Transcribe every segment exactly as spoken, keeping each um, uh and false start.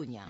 Cunya.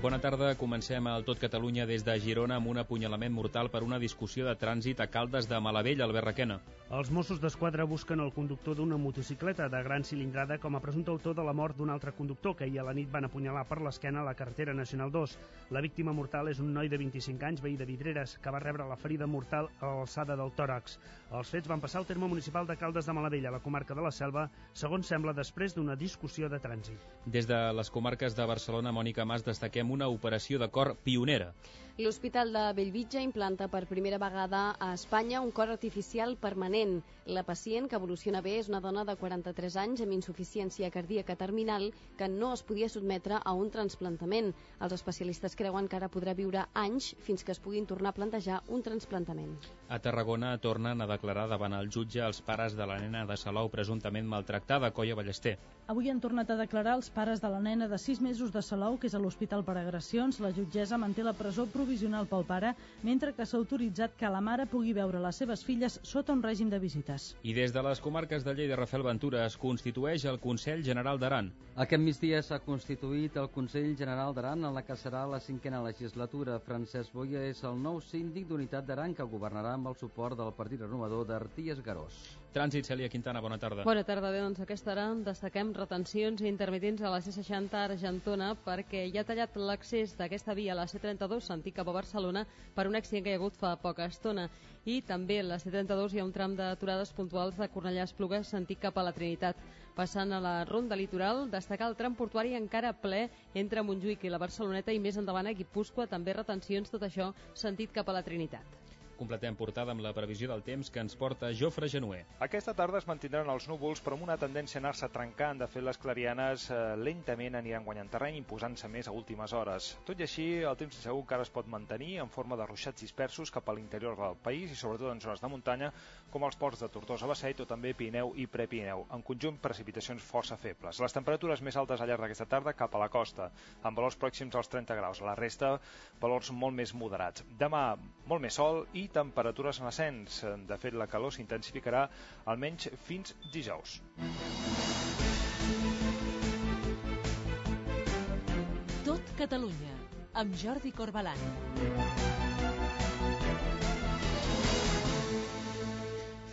Bona tarda. Comencem al Tot Catalunya des de Girona amb un apunyalament mortal per una discussió de trànsit a Caldes de Malavella, Albert Requena. Els Mossos d'Esquadra busquen el conductor d'una motocicleta de gran cilindrada com a presumpte autor de la mort d'un altre conductor que ahir a la nit van apunyalar per l'esquena a la carretera Nacional dos. La víctima mortal és un noi de vint-i-cinc anys, veí de Vidreres, que va rebre la ferida mortal a l'alçada del tòrax. Els fets van passar al terme municipal de Caldes de Malavella, a la comarca de la Selva, segons sembla després d'una discussió de trànsit. Des de les comarques de Barcelona, Mònica Mas, destaquem una operació de cor pionera. L'Hospital de Bellvitge implanta per primera vegada a Espanya un cor artificial permanent. La pacient, que evoluciona bé, és una dona de quaranta-tres anys amb insuficiència cardíaca terminal que no es podia sotmetre a un trasplantament. Els especialistes creuen que ara podrà viure anys fins que es puguin tornar a plantejar un trasplantament. A Tarragona tornen a declarar davant el jutge els pares de la nena de Salou presumptament maltractada, Coia Ballester. Avui han tornat a declarar els pares de la nena de sis mesos de Salou, que és a l'Hospital per Agressions. La jutgessa manté la presó provisional pel pare, mentre que s'ha autoritzat que la mare pugui veure les seves filles sota un règim de visites. I des de les comarques de Lleida, Rafael Ventura, es constitueix el Consell General d'Aran. Aquest migdia s'ha constituït el Consell General d'Aran, en la que serà la cinquena legislatura. Francesc Boia és el nou síndic d'Unitat d'Aran, que governarà amb el suport del Partit Renovador d'Arties Garós. Trànsit, Cèlia Quintana, bona tarda. Bona tarda, bé, doncs aquesta hora destaquem retencions intermitents a la C seixanta a Argentona perquè hi ha tallat l'accés d'aquesta via a la C trenta-dos, sentit cap a Barcelona, per un accident que hi ha hagut fa poca estona. I també a la C trenta-dos hi ha un tram d'aturades puntuals de Cornellà a Esplugues, sentit cap a la Trinitat. Passant a la ronda litoral, destacar el tram portuari encara ple entre Montjuïc i la Barceloneta i més endavant a Guipúscoa, també retencions, tot això sentit cap a la Trinitat. Completem portada amb la previsió del temps que ens porta Jofre Genuer. Aquesta tarda es mantindran els núvols, però amb una tendència a anar-se trencant. De fet, les clarianes eh, lentament aniran guanyant terreny, imposant-se més a últimes hores. Tot i així, el temps segur que ara es pot mantenir en forma de ruixats dispersos cap a l'interior del país i sobretot en zones de muntanya, com els ports de Tortosa, Basseit o també Pirineu i Prepirineu. En conjunt, precipitacions força febles. Les temperatures més altes al llarg d'aquesta tarda cap a la costa, amb valors pròxims als trenta graus. La resta, valors molt més moderats. Demà, molt més sol i temperatures en ascens. De fet, la calor s'intensificarà almenys fins dijous. Tot Catalunya, amb Jordi Corbalan.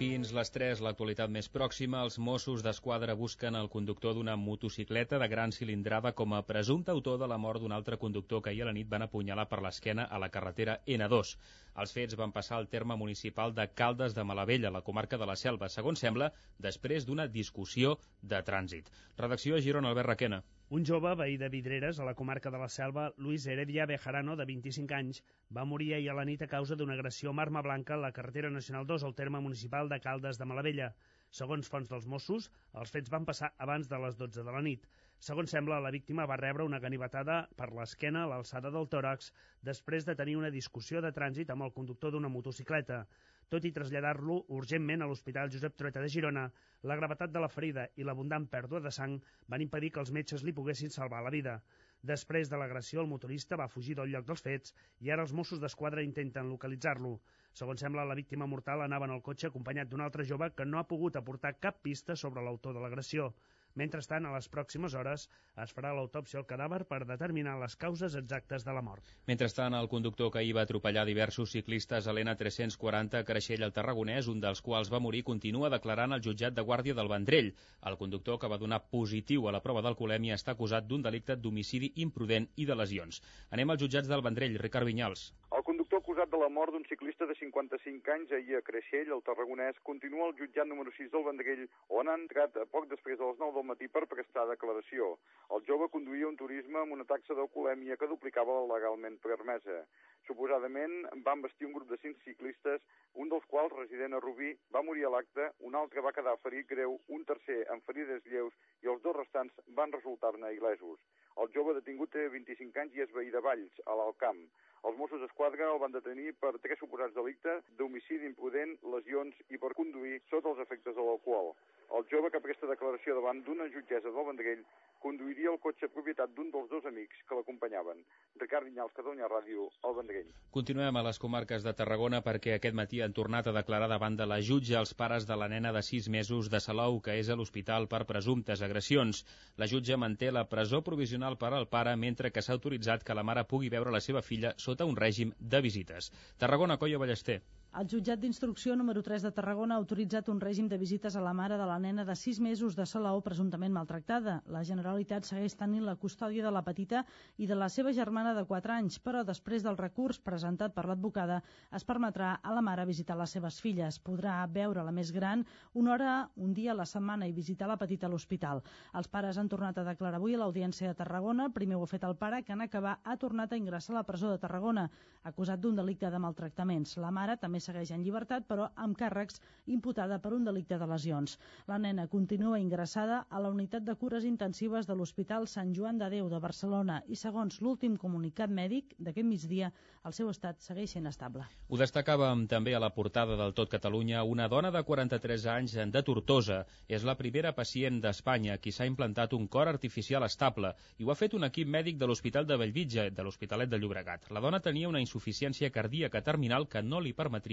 Fins les tres, l'actualitat més pròxima, els Mossos d'Esquadra busquen el conductor d'una motocicleta de gran cilindrada com a presumpte autor de la mort d'un altre conductor que ahir a la nit van apunyalar per l'esquena a la carretera ena dos. Els fets van passar al terme municipal de Caldes de Malavella, la comarca de la Selva, segons sembla, després d'una discussió de trànsit. Redacció a Girona, Albert Requena. Un jove veí de Vidreres, a la comarca de la Selva, Luis Heredia Bejarano, de vint-i-cinc anys, va morir ahir a la nit a causa d'una agressió amb arma blanca a la carretera Nacional dos al terme municipal de Caldes de Malavella. Segons fonts dels Mossos, els fets van passar abans de les dotze de la nit. Segons sembla, la víctima va rebre una ganivetada per l'esquena a l'alçada del tòrax després de tenir una discussió de trànsit amb el conductor d'una motocicleta. Tot i traslladar-lo urgentment a l'Hospital Josep Trueta de Girona, la gravetat de la ferida i l'abundant pèrdua de sang van impedir que els metges li poguessin salvar la vida. Després de l'agressió, el motorista va fugir del lloc dels fets i ara els Mossos d'Esquadra intenten localitzar-lo. Segons sembla, la víctima mortal anava en el cotxe acompanyat d'un altre jove que no ha pogut aportar cap pista sobre l'autor de l'agressió. Mentrestant, a les pròximes hores es farà l'autòpsia al cadàver per determinar les causes exactes de la mort. Mentrestant, el conductor que ahir va atropellar diversos ciclistes a l'E tres-cents quaranta a Creixell al Tarragonès, un dels quals va morir, continua declarant al jutjat de Guàrdia del Vendrell. El conductor, que va donar positiu a la prova d'alcoholèmia, està acusat d'un delicte d'homicidi imprudent i de lesions. Anem als jutjats del Vendrell. Ricard Vinyals. El conductor acusat de la mort d'un ciclista de cinquanta-cinc anys ahir a Creixell, al Tarragonès, continua al jutjat número sis del Vendrell, on ha entrat poc després de les nou del matí per prestar declaració. El jove conduïa un turisme amb una taxa d'alcoholèmia que duplicava la legalment permesa. Suposadament van vestir un grup de cinc ciclistes, un dels quals, resident a Rubí, va morir a l'acte, un altre va quedar ferit greu, un tercer amb ferides lleus i els dos restants van resultar-ne il·lesos. El jove detingut té vint-i-cinc anys i és veí de Valls, a l'Alt Camp. Els Mossos d'Esquadra el van detenir per tres suposats delictes d'homicidi imprudent, lesions i per conduir sota els efectes de l'alcohol. El jove que presta declaració davant d'una jutgessa del Vendrell conduiria el cotxe propietat d'un dels dos amics que l'acompanyaven. Ricard Vinyals, Catalunya Ràdio, al Vendrell. Continuem a les comarques de Tarragona perquè aquest matí han tornat a declarar davant de la jutge els pares de la nena de sis mesos de Salou, que és a l'hospital per presumptes agressions. La jutge manté la presó provisional per al pare, mentre que s'ha autoritzat que la mare pugui veure la seva filla sota un règim de visites. Tarragona, Coio Ballester. El jutjat d'instrucció número tres de Tarragona ha autoritzat un règim de visites a la mare de la nena de sis mesos de Salou presumptament maltractada. La Generalitat segueix tenint la custòdia de la petita i de la seva germana de quatre anys, però després del recurs presentat per l'advocada es permetrà a la mare visitar les seves filles. Podrà veure la més gran una hora, un dia a la setmana i visitar la petita a l'hospital. Els pares han tornat a declarar avui a l'Audiència de Tarragona. Primer ho ha fet el pare, que en acabar ha tornat a ingressar a la presó de Tarragona, acusat d'un delicte de maltractaments. La mare també segueix en llibertat, però amb càrrecs, imputada per un delicte de lesions. La nena continua ingressada a la unitat de cures intensives de l'Hospital Sant Joan de Déu de Barcelona i, segons l'últim comunicat mèdic d'aquest migdia, el seu estat segueix sent estable. Ho destacàvem també a la portada del Tot Catalunya una dona de quaranta-tres anys de Tortosa. És la primera pacient d'Espanya qui s'ha implantat un cor artificial estable i ho ha fet un equip mèdic de l'Hospital de Bellvitge, de l'Hospitalet de Llobregat. La dona tenia una insuficiència cardíaca terminal que no li permetria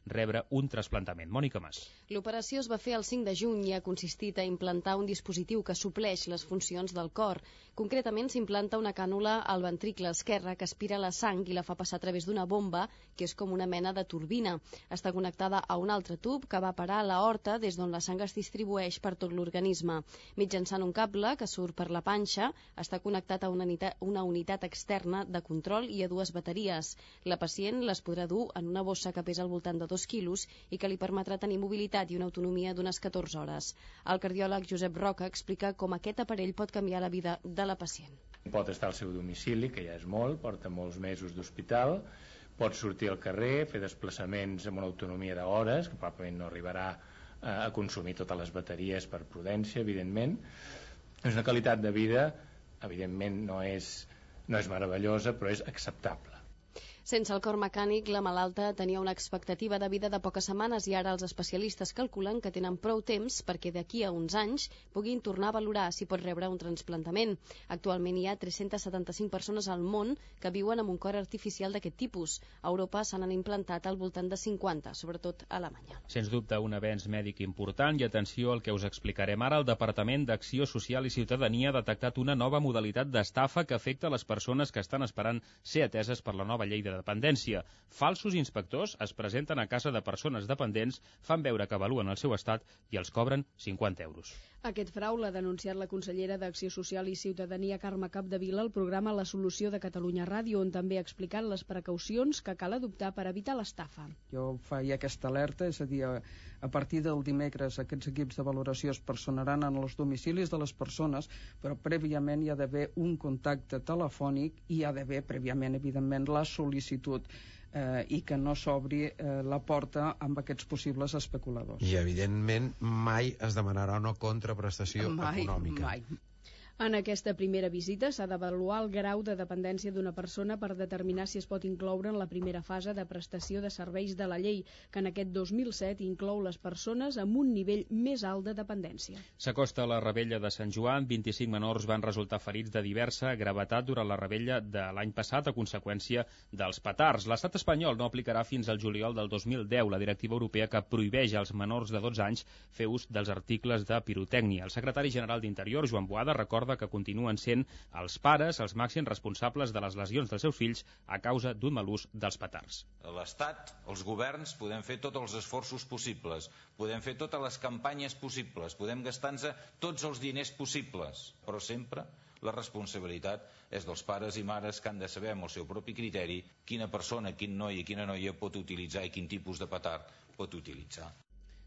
rebre un trasplantament. Mònica Mas. L'operació es va fer el cinc de juny i ha consistit a implantar un dispositiu que supleix les funcions del cor. Concretament, s'implanta una cànula al ventricle esquerre que aspira la sang i la fa passar a través d'una bomba, que és com una mena de turbina. Està connectada a un altre tub que va parar a l'aorta des d'on la sang es distribueix per tot l'organisme. Mitjançant un cable que surt per la panxa, està connectat a una unitat, una unitat externa de control i a dues bateries. La pacient les podrà dur en una bossa que pesa al voltant de dos quilos i que li permetrà tenir mobilitat i una autonomia d'unes catorze hores. El cardiòleg Josep Roca explica com aquest aparell pot canviar la vida de la pacient. Pot estar al seu domicili, que ja és molt, porta molts mesos d'hospital, pot sortir al carrer, fer desplaçaments amb una autonomia d'hores, que probablement no arribarà a consumir totes les bateries per prudència, evidentment. És una qualitat de vida, evidentment no és, no és meravellosa, però és acceptable. Sense el cor mecànic, la malalta tenia una expectativa de vida de poques setmanes i ara els especialistes calculen que tenen prou temps perquè d'aquí a uns anys puguin tornar a valorar si pot rebre un trasplantament. Actualment hi ha tres-centes setanta-cinc persones al món que viuen amb un cor artificial d'aquest tipus. A Europa se n'han implantat al voltant de cinquanta, sobretot a Alemanya. Sens dubte un avenç mèdic important i atenció al que us explicarem ara. El Departament d'Acció Social i Ciutadania ha detectat una nova modalitat d'estafa que afecta les persones que estan esperant ser ateses per la nova llei de dependència. Falsos inspectors es presenten a casa de persones dependents, fan veure que avaluen el seu estat i els cobren cinquanta euros. Aquest frau l'ha denunciat la consellera d'Acció Social i Ciutadania, Carme Capdevila, al programa La Solució de Catalunya Ràdio, on també ha explicat les precaucions que cal adoptar per evitar l'estafa. Jo faig aquesta alerta, és a dir, a partir del dimecres aquests equips de valoració es personaran en els domicilis de les persones, però prèviament hi ha d'haver un contacte telefònic i hi ha d'haver prèviament, evidentment, la sol·licitud eh, i que no s'obri eh, la porta amb aquests possibles especuladors. I, evidentment, mai es demanarà una contraprestació mai, econòmica. Mai. En aquesta primera visita s'ha d'avaluar el grau de dependència d'una persona per determinar si es pot incloure en la primera fase de prestació de serveis de la llei, que en aquest dos mil set inclou les persones amb un nivell més alt de dependència. S'acosta la rebella de Sant Joan. vint-i-cinc menors van resultar ferits de diversa gravetat durant la rebella de l'any passat a conseqüència dels petards. L'estat espanyol no aplicarà fins al juliol del dos mil deu la directiva europea que prohibeix als menors de dotze anys fer ús dels articles de pirotècnia. El secretari general d'Interior, Joan Boada, recorda que continuen sent els pares els màxims responsables de les lesions dels seus fills a causa d'un mal ús dels petards. L'Estat, els governs, podem fer tots els esforços possibles, podem fer totes les campanyes possibles, podem gastar-nos tots els diners possibles, però sempre la responsabilitat és dels pares i mares que han de saber amb el seu propi criteri quina persona, quin noi i quina noia pot utilitzar i quin tipus de petard pot utilitzar.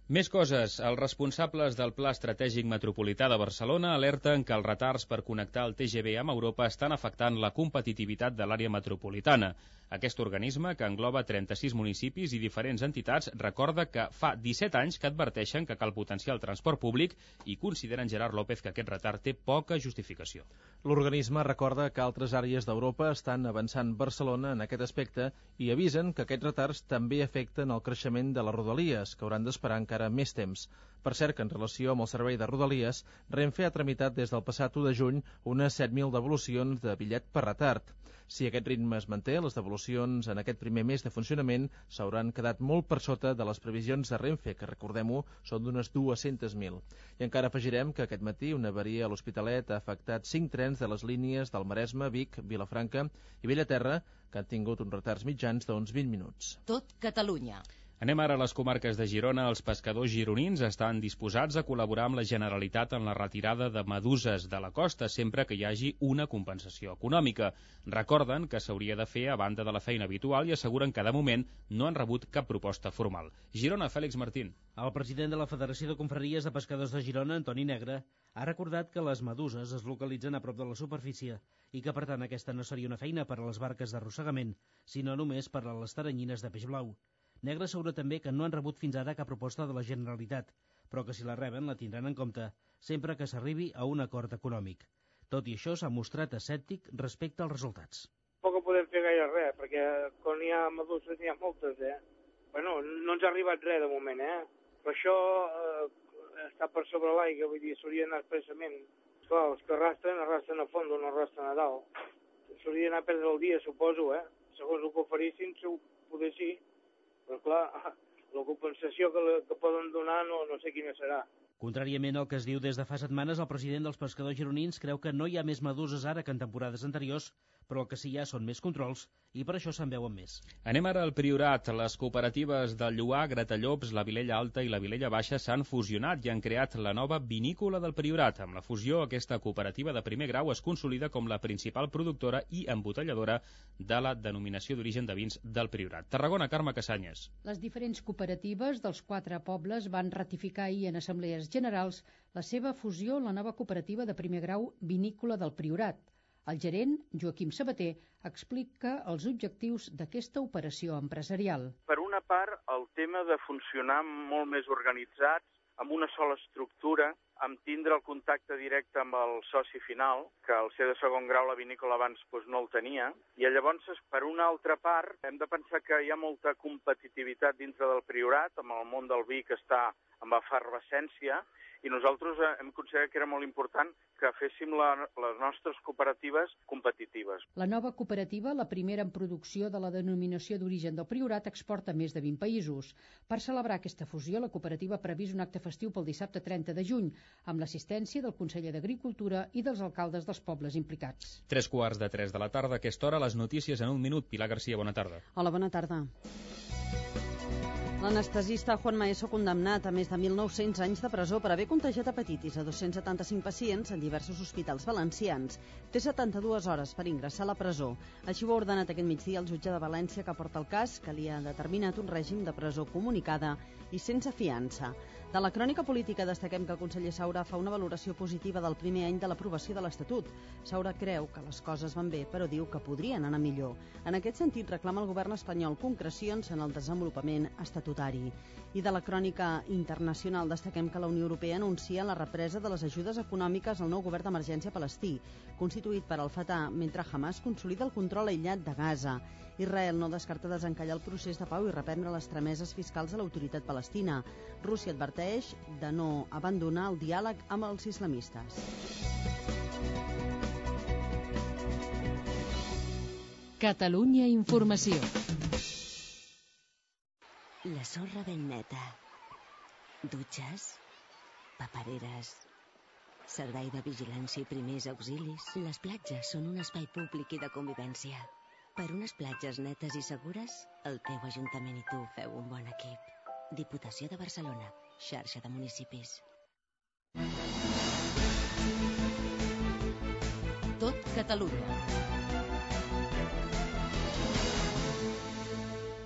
Més coses. Els responsables del Pla Estratègic Metropolità de Barcelona alerten que els retards per connectar el T G V amb Europa estan afectant la competitivitat de l'àrea metropolitana. Aquest organisme, que engloba trenta-sis municipis i diferents entitats, recorda que fa disset anys que adverteixen que cal potenciar el transport públic i consideren Gerard López que aquest retard té poca justificació. L'organisme recorda que altres àrees d'Europa estan avançant Barcelona en aquest aspecte i avisen que aquests retards també afecten el creixement de les rodalies, que hauran d'esperar encara encara més temps. Per cert que en relació amb el servei de Rodalies, Renfe ha tramitat des del passat u de juny unes set mil devolucions de bitllet per retard. Si aquest ritme es manté, les devolucions en aquest primer mes de funcionament s'hauran quedat molt per sota de les previsions de Renfe, que recordem-ho, són d'unes dues-centes mil. I encara afegirem que aquest matí una avaria a l'Hospitalet ha afectat cinc trens de les línies del Maresme, Vic, Vilafranca i Bellaterra, que han tingut uns retards mitjans d'uns vint minuts. Tot Catalunya. Anem ara a les comarques de Girona. Els pescadors gironins estan disposats a col·laborar amb la Generalitat en la retirada de meduses de la costa, sempre que hi hagi una compensació econòmica. Recorden que s'hauria de fer a banda de la feina habitual i asseguren que de moment no han rebut cap proposta formal. Girona, Fèlix Martín. El president de la Federació de Confraries de Pescadors de Girona, Antoni Negre, ha recordat que les meduses es localitzen a prop de la superfície i que, per tant, aquesta no seria una feina per a les barques d'arrossegament, sinó només per a les taranyines de peix blau. Negre assegura també que no han rebut fins ara cap proposta de la Generalitat, però que si la reben la tindran en compte, sempre que s'arribi a un acord econòmic. Tot i això, s'ha mostrat escèptic respecte als resultats. Poc podem fer gaire res, perquè quan hi ha meduses n'hi ha moltes, eh? Bueno, no ens ha arribat res de moment, eh? Però això eh, està per sobre l'aigua, vull dir, s'hauria d'anar expressament. Clar, els que arrastren, arrastren a fons, no arrastren a dalt. S'hauria d'anar a perdre el dia, suposo, eh? Segons el que oferissin, poder sí. Però clar, la compensació que, la, que poden donar no, no sé quina serà. Contràriament al que es diu des de fa setmanes, el president dels pescadors gironins creu que no hi ha més meduses ara que en temporades anteriors, però el que sí hi ha són més controls i per això se'n veuen més. Anem ara al Priorat. Les cooperatives del Lloar, Gratallops, la Vilella Alta i la Vilella Baixa s'han fusionat i han creat la nova vinícola del Priorat. Amb la fusió, aquesta cooperativa de primer grau es consolida com la principal productora i embotelladora de la denominació d'origen de vins del Priorat. Tarragona, Carme Casanyes. Les diferents cooperatives dels quatre pobles van ratificar ahir en assemblees generals la seva fusió en la nova cooperativa de primer grau Vinícola del Priorat. El gerent, Joaquim Sabater, explica els objectius d'aquesta operació empresarial. Per una part, el tema de funcionar molt més organitzats, amb una sola estructura, amb tindre el contacte directe amb el soci final, que al ser de segon grau la vinícola abans doncs, no el tenia, i llavors, per una altra part, hem de pensar que hi ha molta competitivitat dintre del Priorat, amb el món del vi que està amb efervescència, i nosaltres hem considerat que era molt important que féssim la, les nostres cooperatives competitives. La nova cooperativa, la primera en producció de la denominació d'origen del Priorat, exporta a més de vint països. Per celebrar aquesta fusió, la cooperativa ha previst un acte festiu pel dissabte trenta de juny, amb l'assistència del conseller d'Agricultura i dels alcaldes dels pobles implicats. Tres quarts de tres de la tarda, a aquesta hora, les notícies en un minut. Pilar Garcia, bona tarda. Hola, bona tarda. L'anestesista Juan Maeso, condemnat a més de mil nou-cents anys de presó per haver contagiat hepatitis a dos-cents setanta-cinc pacients en diversos hospitals valencians, té setanta-dues hores per ingressar a la presó. Així ho ha ordenat aquest migdia el jutge de València que porta el cas, que li ha determinat un règim de presó comunicada i sense fiança. De la crònica política destaquem que el conseller Saura fa una valoració positiva del primer any de l'aprovació de l'Estatut. Saura creu que les coses van bé, però diu que podrien anar millor. En aquest sentit, reclama al govern espanyol concrecions en el desenvolupament estatutari. I de la crònica internacional destaquem que la Unió Europea anuncia la represa de les ajudes econòmiques al nou govern d'emergència palestí, constituït per al Fatah, mentre Hamas consolida el control aïllat de Gaza. Israel no descarta desencallar el procés de pau i reprendre les trameses fiscals a l'autoritat palestina. Rússia adverteix de no abandonar el diàleg amb els islamistes. Catalunya Informació. La sorra ben neta. Dutxes, papereres, servei de vigilància i primers auxilis. Les platges són un espai públic i de convivència. Per unes platges netes i segures, el teu Ajuntament i tu feu un bon equip. Diputació de Barcelona, xarxa de municipis. Tot Catalunya.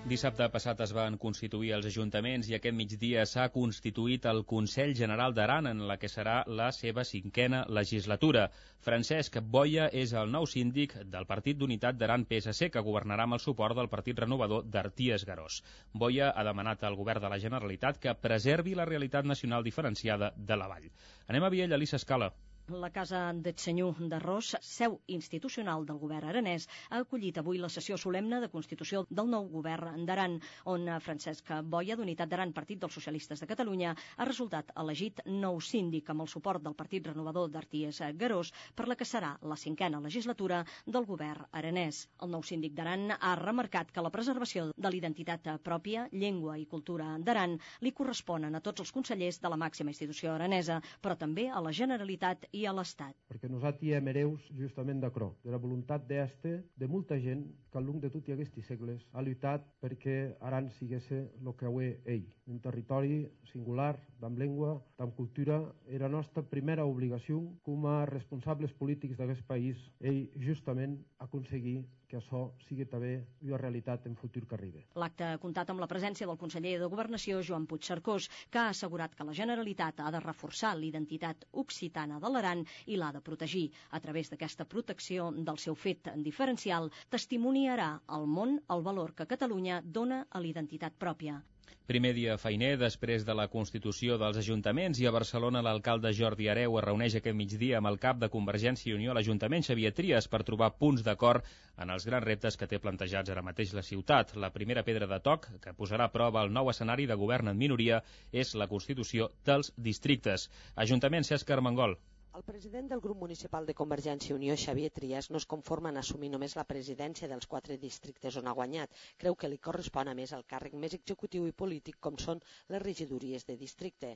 Dissabte passat es van constituir els ajuntaments i aquest migdia s'ha constituït el Consell General d'Aran, en la que serà la seva cinquena legislatura. Francesc Boia és el nou síndic del Partit d'Unitat d'Aran P S C, que governarà amb el suport del Partit Renovador d'Arties Garós. Boia ha demanat al govern de la Generalitat que preservi la realitat nacional diferenciada de la vall. Anem a Viella, Elisa Escala. La Casa del Senyor d'Arròs, seu institucional del govern aranès, ha acollit avui la sessió solemne de constitució del nou govern d'Aran, on Francesc Boia, d'Unitat d'Aran, Partit dels Socialistes de Catalunya, ha resultat elegit nou síndic amb el suport del Partit Renovador d'Arties Garós per la que serà la cinquena legislatura del govern aranès. El nou síndic d'Aran ha remarcat que la preservació de l'identitat pròpia, llengua i cultura d'Aran li corresponen a tots els consellers de la màxima institució aranesa, però també a la Generalitat i a l'Estat. Perquè nosaltres hem hereus justament d'accrò, de la voluntat d'este, de molta gent que al llarg de tot aquests segles ha lluitat perquè Aran sigués el que ho és ell. Un territori singular, amb llengua, amb cultura, era la nostra primera obligació com a responsables polítics d'aquest país, ell justament aconseguir que això sigui també una realitat en futur que arribi. L'acte ha comptat amb la presència del conseller de Governació, Joan Puigcercós, que ha assegurat que la Generalitat ha de reforçar l'identitat occitana de l'Aran i l'ha de protegir. A través d'aquesta protecció del seu fet diferencial, testimoniarà al món el valor que Catalunya dona a l'identitat pròpia. Primer dia feiner després de la Constitució dels Ajuntaments, i a Barcelona l'alcalde Jordi Hereu es reuneix aquest migdia amb el cap de Convergència i Unió a l'Ajuntament, Xavier Trias, per trobar punts d'acord en els grans reptes que té plantejats ara mateix la ciutat. La primera pedra de toc, que posarà a prova el nou escenari de govern en minoria, és la Constitució dels districtes. Ajuntament, Cesc Armengol. El president del grup municipal de Convergència i Unió, Xavier Trias, no es conforma en assumir només la presidència dels quatre districtes on ha guanyat. Creu que li correspon a més el càrrec més executiu i polític com són les regidories de districte.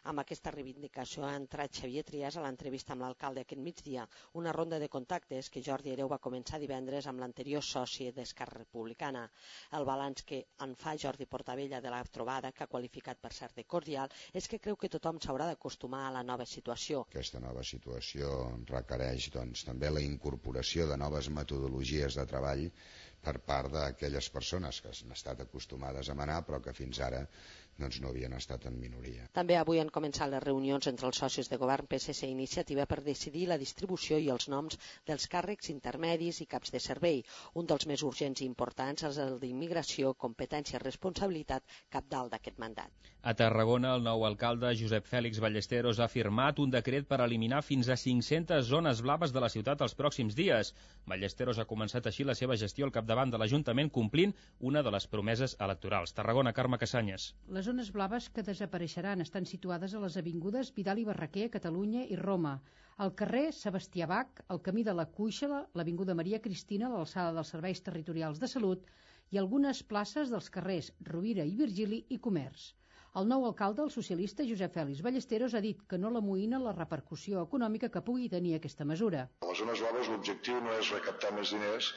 Amb aquesta reivindicació ha entrat Xavier Trias a l'entrevista amb l'alcalde aquest migdia, una ronda de contactes que Jordi Hereu va començar divendres amb l'anterior soci d'Esquerra Republicana. El balanç que en fa Jordi Portabella de la trobada, que ha qualificat per cert de cordial, és que creu que tothom s'haurà d'acostumar a la nova situació. Aquesta nova situació requereix doncs, també la incorporació de noves metodologies de treball per part d'aquelles persones que han estat acostumades a manar però que fins ara doncs, no havien estat en minoria. També avui han començat les reunions entre els socis de govern P S C i Iniciativa per decidir la distribució i els noms dels càrrecs intermedis i caps de servei. Un dels més urgents i importants és el d'immigració, competència i responsabilitat capdalt d'aquest mandat. A Tarragona, el nou alcalde Josep Fèlix Ballesteros ha firmat un decret per eliminar fins a cinc-centes zones blaves de la ciutat els pròxims dies. Ballesteros ha començat així la seva gestió al capdavant de l'Ajuntament, complint una de les promeses electorals. Tarragona, Carme Cassanyes. Les zones blaves que desapareixeran estan situades a les avingudes Vidal i Barraquer, Catalunya i Roma, al carrer Sebastià Bach, al camí de la Cuixa, l'avinguda Maria Cristina, a l'alçada dels serveis territorials de salut i algunes places dels carrers Rovira i Virgili i Comerç. El nou alcalde, el socialista Josep Fèlix Ballesteros, ha dit que no l'amoïna la repercussió econòmica que pugui tenir aquesta mesura. A les zones blaves l'objectiu no és recaptar més diners,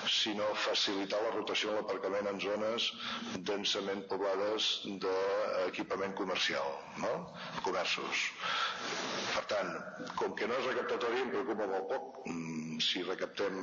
sinó facilitar la rotació de l'aparcament en zones densament poblades d'equipament comercial, no? Comerços. Per tant, com que no és recaptatori, em preocupa molt poc si recaptem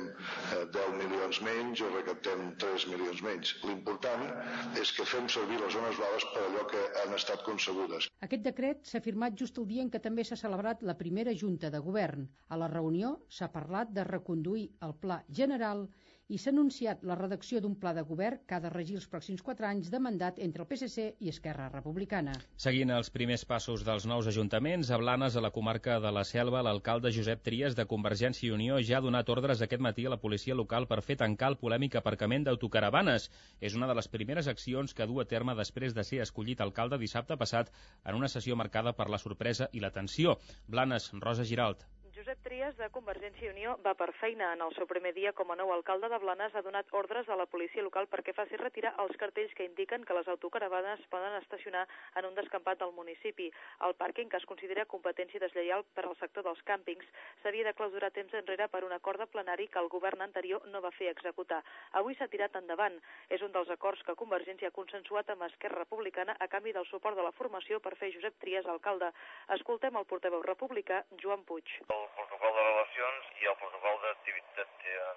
deu milions menys o recaptem tres milions menys. L'important és que fem servir les zones blaves per allò que han estat concebudes. Aquest decret s'ha firmat just el dia en què també s'ha celebrat la primera Junta de Govern. A la reunió s'ha parlat de reconduir el Pla General i s'ha anunciat la redacció d'un pla de govern que ha de regir els pròxims quatre anys de mandat entre el P S C i Esquerra Republicana. Seguint els primers passos dels nous ajuntaments, a Blanes, a la comarca de la Selva, l'alcalde Josep Trias, de Convergència i Unió, ja ha donat ordres aquest matí a la policia local per fer tancar el polèmic aparcament d'autocaravanes. És una de les primeres accions que du a terme després de ser escollit alcalde dissabte passat en una sessió marcada per la sorpresa i la tensió. Blanes, Rosa Giralt. Josep Trias, de Convergència i Unió, va per feina. En el seu primer dia com a nou alcalde de Blanes ha donat ordres a la policia local perquè faci retirar els cartells que indiquen que les autocaravanes poden estacionar en un descampat del municipi. El pàrquing, que es considera competència deslleial per al sector dels càmpings, s'havia de clausurar temps enrere per un acord de plenari que el govern anterior no va fer executar. Avui s'ha tirat endavant. És un dels acords que Convergència ha consensuat amb Esquerra Republicana a canvi del suport de la formació per fer Josep Trias alcalde. Escoltem el portaveu republicà, Joan Puig. El protocol de relacions i el protocol de,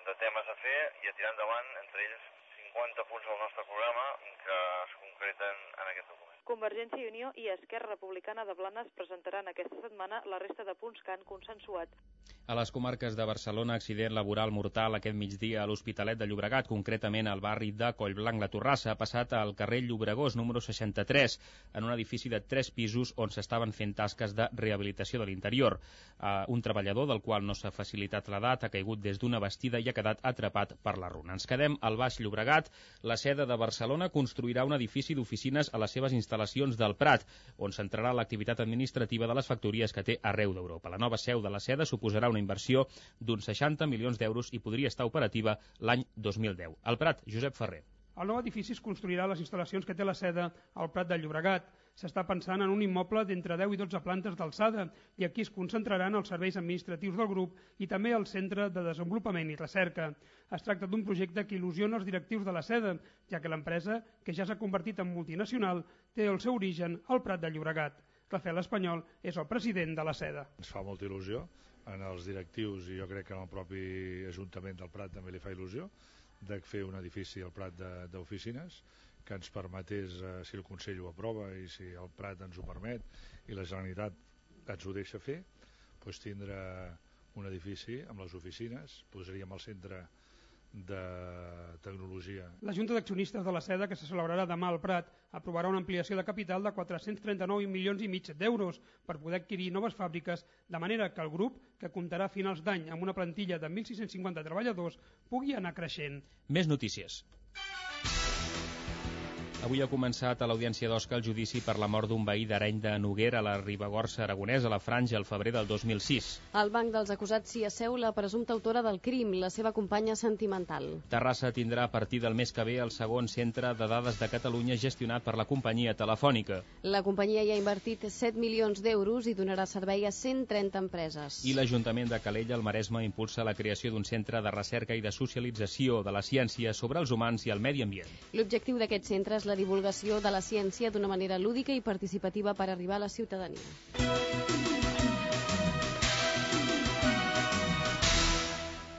de temes a fer i a tirar endavant, entre ells cinquanta punts del nostre programa que es concreten en aquest document. Convergència i Unió i Esquerra Republicana de Blanes presentaran aquesta setmana la resta de punts que han consensuat. A les comarques de Barcelona, accident laboral mortal aquest migdia a l'Hospitalet de Llobregat, concretament al barri de Collblanc. La Torrassa ha passat al carrer Llobregós, número seixanta-tres, en un edifici de tres pisos on s'estaven fent tasques de rehabilitació de l'interior. Uh, un treballador, del qual no s'ha facilitat l'edat, ha caigut des d'una bastida i ha quedat atrapat per la runa. Ens quedem al Baix Llobregat. La Seda de Barcelona construirà un edifici d'oficines a les seves instal·lacions del Prat, on centrarà l'activitat administrativa de les factories que té arreu d'Europa. La nova seu de la Seda suposarà una inversió d'uns seixanta milions d'euros i podria estar operativa l'any dos mil deu. Al Prat, Josep Ferrer. El nou edifici es construirà a les instal·lacions que té la Seda al Prat de Llobregat. S'està pensant en un immoble d'entre deu i dotze plantes d'alçada i aquí es concentraran els serveis administratius del grup i també el Centre de Desenvolupament i Recerca. Es tracta d'un projecte que il·lusiona els directius de la Seda, ja que l'empresa, que ja s'ha convertit en multinacional, té el seu origen al Prat de Llobregat. Rafael Espanyol és el president de la Seda. Ens fa molta il·lusió en els directius i jo crec que en el propi Ajuntament del Prat també li fa il·lusió de fer un edifici al Prat d'oficines que ens permetés, eh, si el Consell ho aprova i si el Prat ens ho permet i la Generalitat ens ho deixa fer, doncs tindre un edifici amb les oficines, posaríem al centre de tecnologia. La Junta d'Accionistes de la Seda, que se celebrarà demà al Prat, aprovarà una ampliació de capital de quatre-cents trenta-nou milions i mig d'euros per poder adquirir noves fàbriques, de manera que el grup, que comptarà a finals d'any amb una plantilla de mil sis-cents cinquanta treballadors, pugui anar creixent. Més notícies. Avui ha començat a l'Audiència d'Osca el judici per la mort d'un veí d'Areny de Noguera a la Ribagorça aragonesa a la Franja el febrer del dos mil sis. Al banc dels acusats s'hi asseu la presumpta autora del crim, la seva companya sentimental. Terrassa tindrà a partir del mes que ve el segon centre de dades de Catalunya gestionat per la companyia telefònica. La companyia hi ha invertit set milions d'euros i donarà servei a cent trenta empreses. I l'Ajuntament de Calella, al Maresme, impulsa la creació d'un centre de recerca i de socialització de la ciència sobre els humans i el medi ambient. L'objectiu d'aquest centre és la divulgació de la ciència d'una manera lúdica i participativa per arribar a la ciutadania.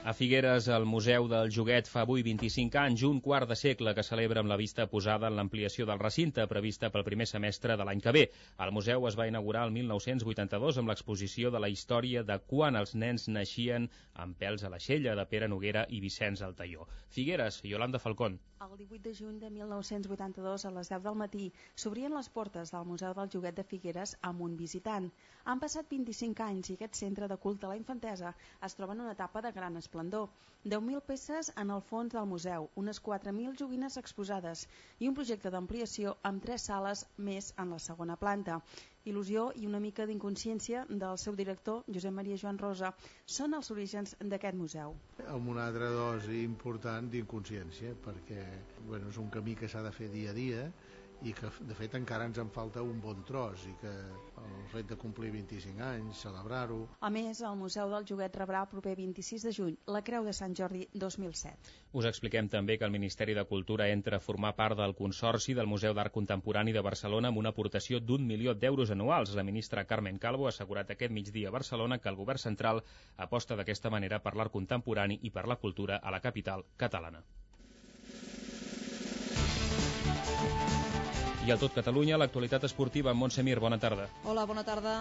A Figueres, el Museu del Joguet fa avui vint-i-cinc anys, un quart de segle que celebra amb la vista posada en l'ampliació del recinte, prevista pel primer semestre de l'any que ve. El museu es va inaugurar el mil nou-cents vuitanta-dos amb l'exposició de la història de quan els nens naixien amb pèls a l'aixella de Pere Noguera i Vicenç Altaió. Figueres, Yolanda Falcón. El divuit de juny de mil nou-cents vuitanta-dos, a les deu del matí, s'obrien les portes del Museu del Joguet de Figueres amb un visitant. Han passat vint-i-cinc anys i aquest centre de culte a la infantesa es troba en una etapa de gran esplendor. deu mil peces en el fons del museu, unes quatre mil joguines exposades i un projecte d'ampliació amb tres sales més en la segona planta. Il·lusió i una mica d'inconsciència del seu director, Josep Maria Joan Rosa, són els orígens d'aquest museu. Amb una altra dosi important d'inconsciència, perquè bueno, és un camí que s'ha de fer dia a dia i que de fet encara ens en falta un bon tros i que el fet de complir vint-i-cinc anys, celebrar-ho. A més, el Museu del Joguet rebrà el proper vint-i-sis de juny la Creu de Sant Jordi dos mil set. Us expliquem també que el Ministeri de Cultura entra a formar part del Consorci del Museu d'Art Contemporani de Barcelona amb una aportació d'un milió d'euros anuals. La ministra Carmen Calvo ha assegurat aquest migdia a Barcelona que el govern central aposta d'aquesta manera per l'art contemporani i per la cultura a la capital catalana. I al tot Catalunya, l'actualitat esportiva amb Montse Mir. Bona tarda. Hola, bona tarda.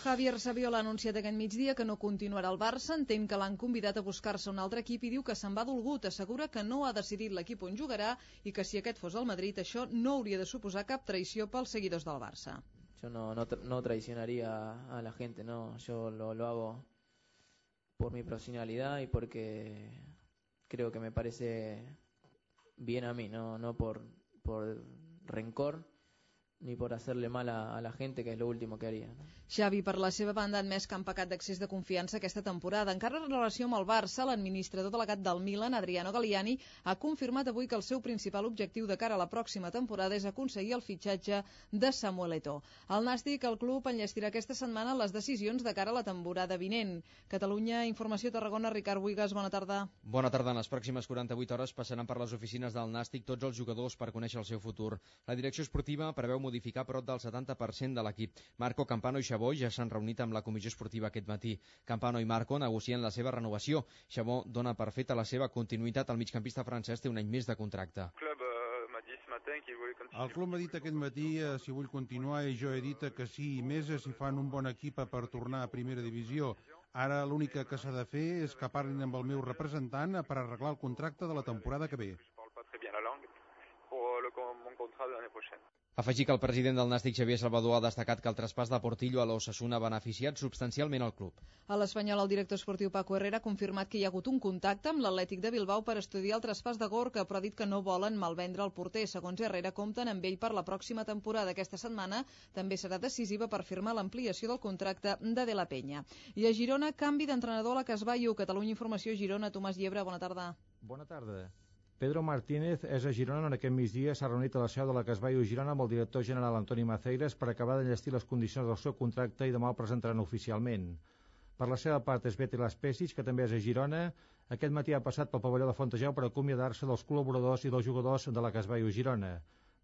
Javier Saviola ha anunciat aquest migdia que no continuarà al Barça, entén que l'han convidat a buscar-se un altre equip i diu que se'n va dolgut. Assegura que no ha decidit l'equip on jugarà i que si aquest fos el Madrid això no hauria de suposar cap traïció pels seguidors del Barça. Yo no, no, tra no traicionaría a la gente, no. Yo lo, lo hago por mi profesionalidad y porque creo que me parece bien a mí, no, no por, por rencor ni por hacerle mal a, a la gente, que és l'últim que haria. No? Xavi, per la seva banda, ha admès que han pecat d'accés de confiança aquesta temporada. Encara en relació amb el Barça, l'administrador delegat del Milan, Adriano Galliani, ha confirmat avui que el seu principal objectiu de cara a la pròxima temporada és aconseguir el fitxatge de Samuel Eto'o. Al Nàstic, el club enllestirà aquesta setmana les decisions de cara a la temporada vinent. Catalunya, Informació, Tarragona, Ricard Buigas, bona tarda. Bona tarda. En les pròximes quaranta-vuit hores passaran per les oficines del Nàstic tots els jugadors per conèixer el seu futur. La direcció esportiva preveu modificar prop del setanta per cent de l'equip. Marco, Campano i Xabó ja s'han reunit amb la comissió esportiva aquest matí. Campano i Marco negocien la seva renovació. Xabó dona per feta la seva continuïtat. El migcampista francès té un any més de contracte. El club uh, m'a dit ce matin El club m'ha dit aquest matí eh, si vull continuar i jo he dit que sí, i més si fan un bon equip per tornar a primera divisió. Ara l'únic que s'ha de fer és que parlin amb el meu representant per arreglar el contracte de la temporada que ve. Afegir que el president del Nàstic, Xavier Salvador, ha destacat que el traspàs de Portillo a l'Osasuna ha beneficiat substancialment el club. A l'Espanyol, el director esportiu Paco Herrera ha confirmat que hi ha hagut un contacte amb l'Atlètic de Bilbao per estudiar el traspàs de Gorka, però ha dit que no volen malvendre el porter. Segons Herrera, compten amb ell per la pròxima temporada. Aquesta setmana també serà decisiva per firmar l'ampliació del contracte de De la Penya. I a Girona, canvi d'entrenador a la Casbaio. Catalunya Informació, Girona, Tomàs Llebre, bona tarda. Bona tarda. Pedro Martínez és a Girona on aquest migdia s'ha reunit a la seu de la Casbaio Girona amb el director general Antoni Maceiras per acabar d'enllestir les condicions del seu contracte i demà el presentaran oficialment. Per la seva part és Beti Las Pesis, que també és a Girona. Aquest matí ha passat pel pavelló de Fontejau per acomiadar-se dels col·laboradors i dels jugadors de la Casbaio Girona.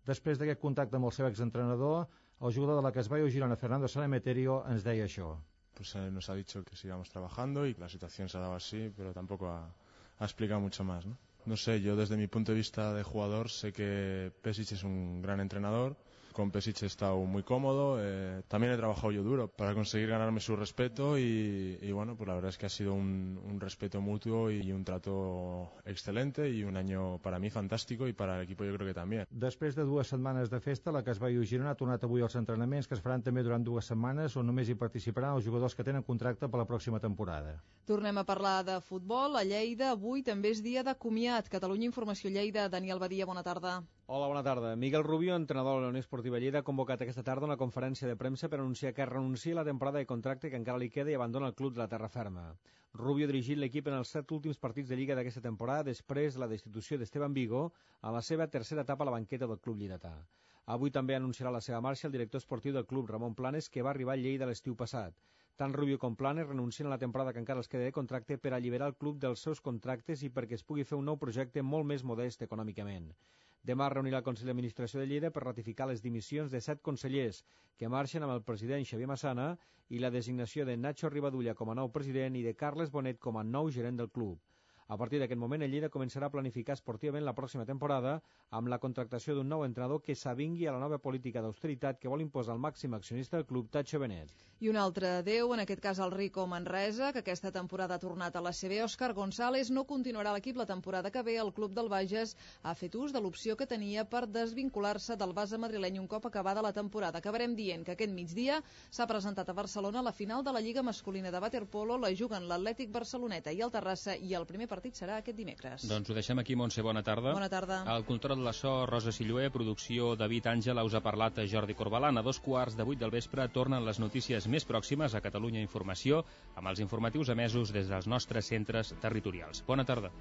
Després d'aquest contacte amb el seu exentrenador, el jugador de la Casbaio Girona, Fernando Sanemeterio, ens deia això. Pues eh, nos ha dicho que sigamos trabajando y la situación se ha dado así, pero tampoco ha, ha explicado mucho más, ¿no? No sé, yo desde mi punto de vista de jugador sé que Pesic es un gran entrenador. Con Pesic he estado muy cómodo, eh, también he trabajado yo duro para conseguir ganarme su respeto y, y bueno, pues la verdad es que ha sido un, un respeto mutuo y un trato excelente y un año para mí fantástico y para el equipo yo creo que también. Després de dues setmanes de festa, la Casbaio Girona ha tornat avui als entrenaments que es faran també durant dues setmanes on només hi participaran els jugadors que tenen contracte per la pròxima temporada. Tornem a parlar de futbol. A Lleida avui també és dia de comiat. Catalunya Informació Lleida, Daniel Badia, bona tarda. Hola, bona tarda. Miguel Rubio, entrenador de la Unió Esportiva Lleida, ha convocat aquesta tarda una conferència de premsa per anunciar que renuncia a la temporada de contracte que encara li queda i abandona el club de la terra ferma. Rubio ha dirigit l'equip en els set últims partits de Lliga d'aquesta temporada després de la destitució d'Esteban Vigo a la seva tercera etapa a la banqueta del club lleidatà. Avui també anunciarà la seva marxa el director esportiu del club, Ramon Planes, que va arribar a Lleida l'estiu passat. Tant Rubio com Planes renuncien a la temporada que encara els queda de contracte per alliberar el club dels seus contractes i perquè es pugui fer un nou projecte molt més modest econòmicament. Demà reunirà el Consell d'Administració de Lleida per ratificar les dimissions de set consellers que marxen amb el president Xavier Massana i la designació de Nacho Rivadulla com a nou president i de Carles Bonet com a nou gerent del club. A partir d'aquest moment, el Lleida començarà a planificar esportivament la pròxima temporada amb la contractació d'un nou entrenador que s'avingui a la nova política d'austeritat que vol imposar el màxim accionista del club, Tacho Benet. I un altre adeu, en aquest cas el Rico Manresa, que aquesta temporada ha tornat a la C B. Òscar González no continuarà a l'equip la temporada que ve. El club del Bages ha fet ús de l'opció que tenia per desvincular-se del base madrileny un cop acabada la temporada. Acabarem dient que aquest migdia s'ha presentat a Barcelona la final de la Lliga Masculina de Waterpolo. La juguen l'Atlètic Barceloneta i el Terrassa i el primer partit serà aquest dimecres. Doncs ho deixem aquí, Montse, bona tarda. Bona tarda. Al control de la so, Rosa Silluer, producció David Àngela, us ha parlat Jordi Corbalan. A dos quarts de vuit del vespre tornen les notícies més pròximes a Catalunya Informació amb els informatius emesos des dels nostres centres territorials. Bona tarda.